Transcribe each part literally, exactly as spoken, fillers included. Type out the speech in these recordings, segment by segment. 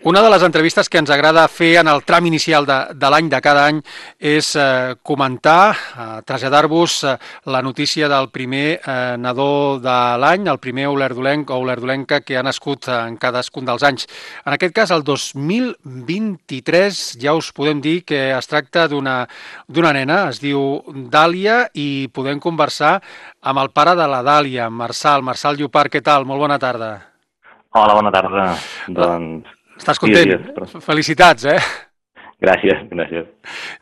Una de les entrevistes que ens agrada fer en el tram inicial de, de l'any, de cada any, és eh, comentar, eh, traslladar-vos eh, la notícia del primer eh, nadó de l'any, el primer olerdolenc o olerdolenca que ha nascut en cadascun dels anys. En aquest cas, el dos mil vint-i-tres, ja us podem dir que es tracta d'una d'una nena, es diu Dàlia, i podem conversar amb el pare de la Dàlia, Marçal. Marçal Llopart, què tal? Molt bona tarda. Hola, bona tarda. Doncs... Estàs content? Dies, dies, però... Felicitats, eh? Gràcies, gràcies.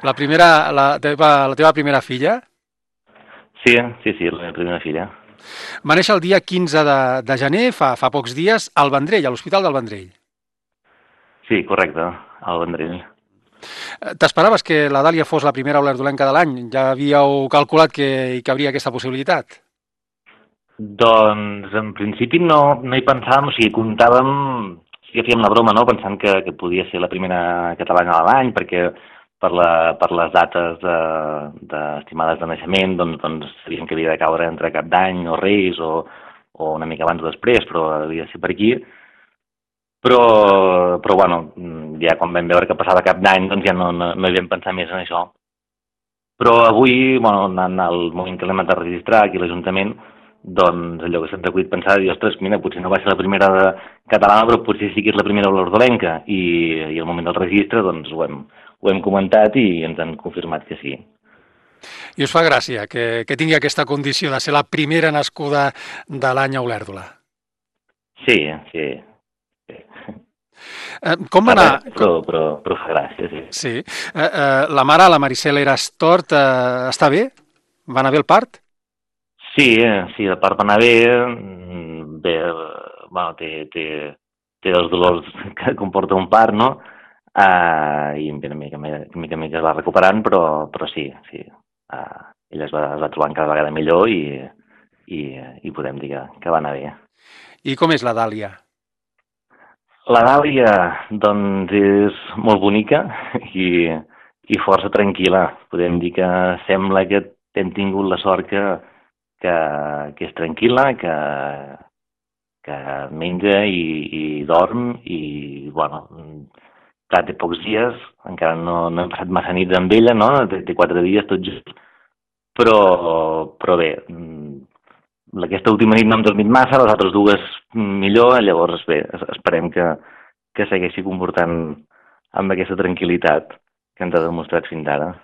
La primera, la teva, la teva primera filla? Sí, sí, sí, la meva primera filla. Va néixer el dia quinze de, de gener, fa, fa pocs dies, al Vendrell, a l'Hospital del Vendrell. Sí, correcte, al Vendrell. T'esperaves que la Dàlia fos la primera olerdolenca de l'any? Ja havíeu calculat que hi cabria aquesta possibilitat? Doncs, en principi, no, no hi pensàvem, o sigui, comptàvem... Sí que fèiem la broma, no?, pensant que, que podia ser la primera catalana de l'any, perquè per, la, per les dates de, de estimades de naixement, doncs, doncs sabíem que havia de caure entre Cap d'Any o Reis, o, o una mica abans o després, però havia de ser per aquí. Però, però bueno, ja quan vam veure que passava Cap d'Any, doncs ja no, no, no hi vam pensar més en això. Però avui, bueno, en el moment que l'hem de registrar aquí a l'Ajuntament, doncs allò que se'ns ha acudit pensar, dir, ostres, mira, potser no va ser la primera catalana, però potser sí que és la primera olerdolenca, i, i al moment del registre doncs ho hem, ho hem comentat i ens han confirmat que sí. I us fa gràcia que, que tingui aquesta condició de ser la primera nascuda de l'any a Olèrdola? Sí, sí. sí. Eh, com va anar? Però, però, però fa gràcia, sí. Sí. Eh, eh, la mare, la Maricel Erastort, eh, està bé? Va anar bé el part? Sí, sí, el part va anar bé, bé, bueno, té, té, té els dolors que comporta un part, no? Uh, I una mica, una mica, mica es va recuperant, però, però sí, sí. Uh, ella es va, es va trobant cada vegada millor i, i, i podem dir que, que va anar bé. I com és la Dàlia? La Dàlia, doncs, és molt bonica i, i força tranquil·la. Podem dir que sembla que hem tingut la sort que Que, que és tranquil·la, que, que menja i, i dorm i, bueno, clar, té pocs dies, encara no, no hem passat massa nits amb ella, no? Té, té quatre dies tot just, però, però bé, aquesta última nit no hem dormit massa, les altres dues millor, llavors bé, esperem que, que segueixi comportant amb aquesta tranquil·litat que ens ha demostrat fins ara.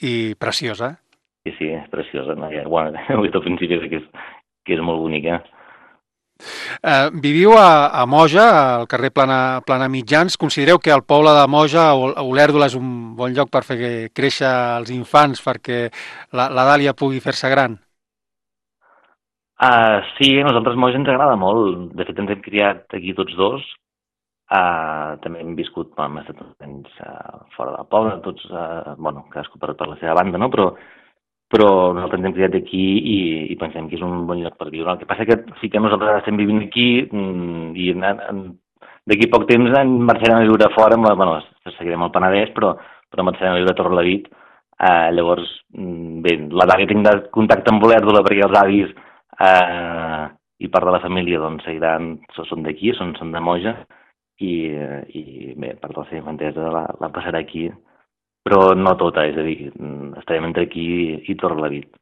I preciosa. Sí, sí, és preciosa. No? Ja, bueno, ho he dit al principi que és, que és molt bonica. Eh, viviu a, a Moja, al carrer Plana, Plana Mitjans. Considereu que el poble de Moja, Olèrdola, és un bon lloc per fer créixer els infants perquè la, la Dàlia pugui fer-se gran? Uh, sí, a nosaltres Moja ens agrada molt. De fet, ens hem criat aquí tots dos. Uh, també hem viscut, bueno, hem estat temps uh, fora del poble, tots, uh, bueno, cadascú per, per la seva banda, no? Però però nosaltres ens hem criat aquí i, i pensem que és un bon lloc per viure. El que passa que sí que nosaltres estem vivint aquí i d'aquí poc temps en marxarem a viure fora, bueno, seguirem al Penedès, però, però marxarem a viure a Torrelavit. Eh, llavors, bé, la Dàlia tindrà contacte amb Olèrdola perquè els avis eh, i part de la família doncs, seguiran, són d'aquí, són, són de Moja, i, i bé, part de la seva infantesa la, la passarà aquí. Però no tota, és a dir, estarem entre aquí i Torrelavit.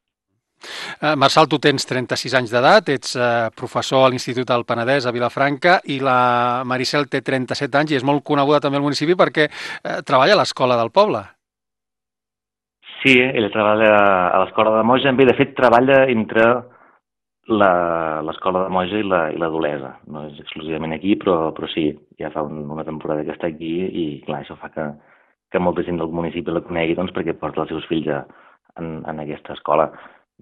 Uh, Marçal, tu tens trenta-sis anys d'edat, ets uh, professor a l'Institut del Penedès a Vilafranca i la Maricel té trenta-set anys i és molt coneguda també al municipi perquè uh, treballa a l'escola del poble. Sí, ella treballa a l'escola de Moja, bé, de fet treballa entre l'escola de Moja i la, i la d'Olesa. No és exclusivament aquí, però, però sí, ja fa un, una temporada que està aquí i clar, això fa que que molta gent del municipi la conegui doncs, perquè porta els seus fills a, en, en aquesta escola.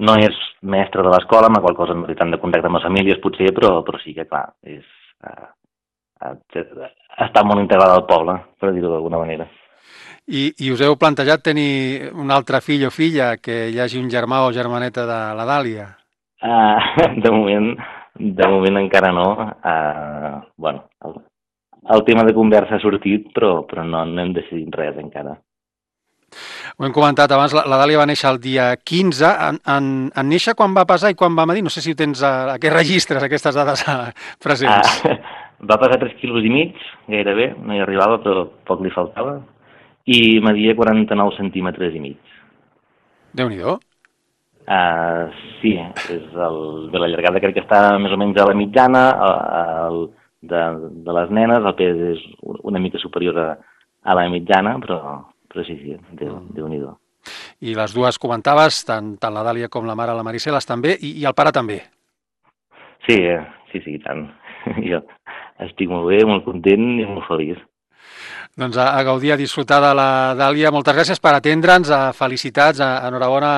No és mestre de l'escola, amb la qual cosa no té tant de contacte amb les famílies, potser, però, però sí que, clar, és, uh, uh, està molt integrada al poble, per dir-ho d'alguna manera. I, I us heu plantejat tenir un altre fill o filla, que hi hagi un germà o germaneta de la Dàlia? Uh, de moment, de moment encara no. Uh, bueno, el, El tema de conversa ha sortit, però, però no, no hem decidit res encara. Ho hem comentat abans, la, la Dàlia va néixer el dia quinze. En, en, en néixer quan va pesar i quan va medir? No sé si ho tens a, a aquests registres, aquestes dades presents. Ah, Va pesar tres quilos i mig, gairebé, no hi arribava, però poc li faltava, i media quaranta-nou centímetres i mig. Déu-n'hi-do. Uh, sí, és el, de la llargada crec que està més o menys a la mitjana, el, de, de les nenes, el pes és una mica superior a, a la mitjana, però, però sí, sí, Déu, mm. Déu-n'hi-do. I les dues comentaves, tant, tant la Dàlia com la mare, la Maricel, estan bé, i, i el pare també. Sí, sí, sí, tant. Jo estic molt bé, molt content i molt feliç. Doncs a, a gaudir, a disfrutar de la Dàlia. Moltes gràcies per atendre'ns, a felicitats, a, enhorabona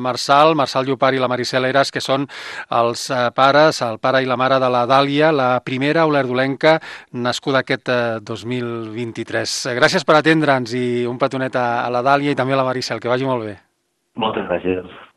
Marçal, Marçal Llopart i la Maricel Eras, que són els eh, pares, el pare i la mare de la Dàlia, la primera olèrdolenca nascuda aquest eh, dos mil vint-i-tres. Gràcies per atendre'ns i un petonet a, a la Dàlia i també a la Maricel, que vagi molt bé. Moltes gràcies.